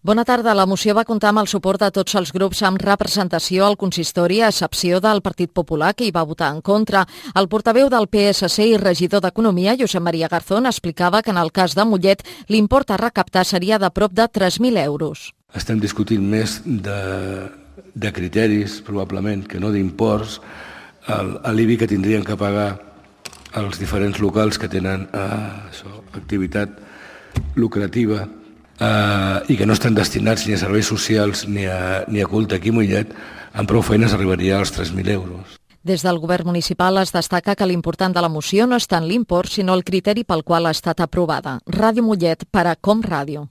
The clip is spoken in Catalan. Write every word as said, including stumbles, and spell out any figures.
Bona tarda. La moció va comptar amb el suport de tots els grups amb representació al consistori, a excepció del Partit Popular, que hi va votar en contra. El portaveu del P S C i regidor d'Economia, Josep Maria Garzón, explicava que en el cas de Mollet l'import a recaptar seria de prop de tres mil euros. Estem discutint més de, de criteris, probablement, que no d'imports, l'I B I que tindrien que pagar els diferents locals que tenen eh, això, activitat lucrativa eh, i que no estan destinats ni a serveis socials ni a, ni a culte aquí a Mollet, amb prou feines arribaria als tres mil euros. Des del govern municipal es destaca que l'important de la moció no és tant l'import, sinó el criteri pel qual ha estat aprovada. Ràdio Mollet per a Com Ràdio.